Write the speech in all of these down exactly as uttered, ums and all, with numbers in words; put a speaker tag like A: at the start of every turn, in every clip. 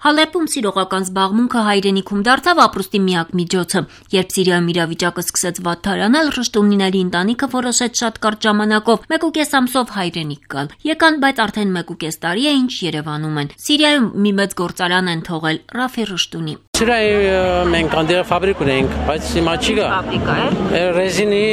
A: Հալեպում սիրողական զբաղմունքը հայրենիքում դարձավ ապրուստի միակ միջոցը։ Երբ Սիրիայում իրավիճակը սկսեց վատթարանալ, Ռշտունիների ընտանիքը որոշեց շատ կարճ ժամանակով մեկուկես ամսով հայրենիք գալ։ Եկան, բայց արդեն մեկուկես տարի է, ինչ Երևանում են։ Սիրիայում մի մեծ գործարան են թողել Ռաֆի Ռշտունի։
B: Սիրիայում մենք անդեր ֆաբրիկ ունենք, բայց հիմա չի գա։
A: Ֆաբրիկա է։
B: Ռեզինի,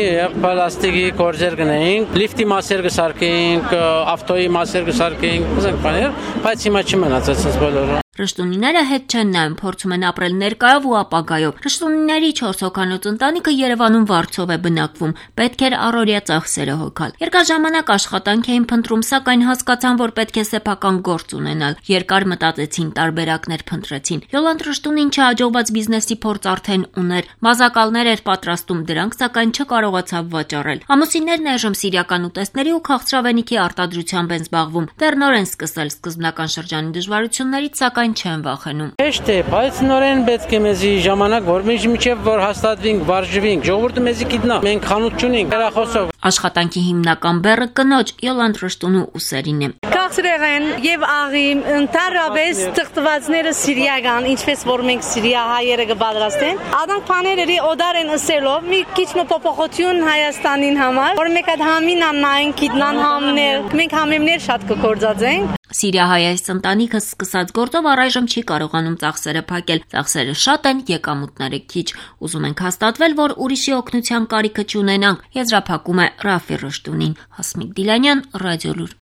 B: պլաստիկի գործեր գնենք, լիֆտի մասեր կսարքենք, ավտոյի մասեր կսարքենք, ուզենք բաներ, բայց հիմա չի մնացած այս բոլորը։
A: Ռշտունիները հետ չեն նայում, փորձում են ապրել ներկայով ու ապագայով։ Ռշտունիների չորս հոգանոց ընտանիքը Երևանում վարձով է բնակվում, պետք էր առօրյա ծախսերը հոգալ։ Երկար ժամանակ աշխատանք էին փնտրում, սակայն հասկացան, որ պետք է սեփական գործ ունենալ։ Երկար մտածեցին, տարբերակներ փնտրեցին։ Յոլանդ Ռշտունին չհաջողված բիզնեսի փորձ արդեն ուներ, մազակալներ էր պատրաստում, դրանք սակայն չկարողացավ վաճառել։ Ամուսիններն այժմ սիրիական ուտեստների ու քաղցրավենիքի արտադրությամբ են զբաղվում։ Դեռ նոր են սկսել սկզբնական շրջանի դժվարություններից, սակայն չեն վախենում։
B: Հեշտ է, բայց նորեն պետք է մեզի ժամանակ, որ մենք միջև որ հաստատվենք, վարժվենք, ժողովուրդը մեզի գիտնա։ Մենք խանութ չունենք, հեռախոսով։
A: Աշխատանքի հիմնական բեռը կնոջ Յոլանդ Ռշտունու ուսերին է։
C: Քաղցրեղեն եւ աղի ընդհանրապես թղթվածները սիրիական, ինչպես որ մենք սիրիա հայերը կպատրաստեն, ադանք բաների օդար են ասելով մի քիչ փոփոխություն Հայաստանին համար, որ մեկ հատ համին աննային գիտնան համներ, մենք համեմներ շատ կգործածենք։
A: Սիրիահայ ընտանիքը սկսած գործով առայժմ չի կարողանում ծախսերը փակել։ Ծախսերը շատ են, եկամուտները քիչ։ Ուզում ենք հաստատվել, որ ուրիշի օգնության կարիքը չունենանք, եզրափակում է Ռաֆի Ռշտունին։ Հասմիկ Դիլանյան, Ռադիոլուր։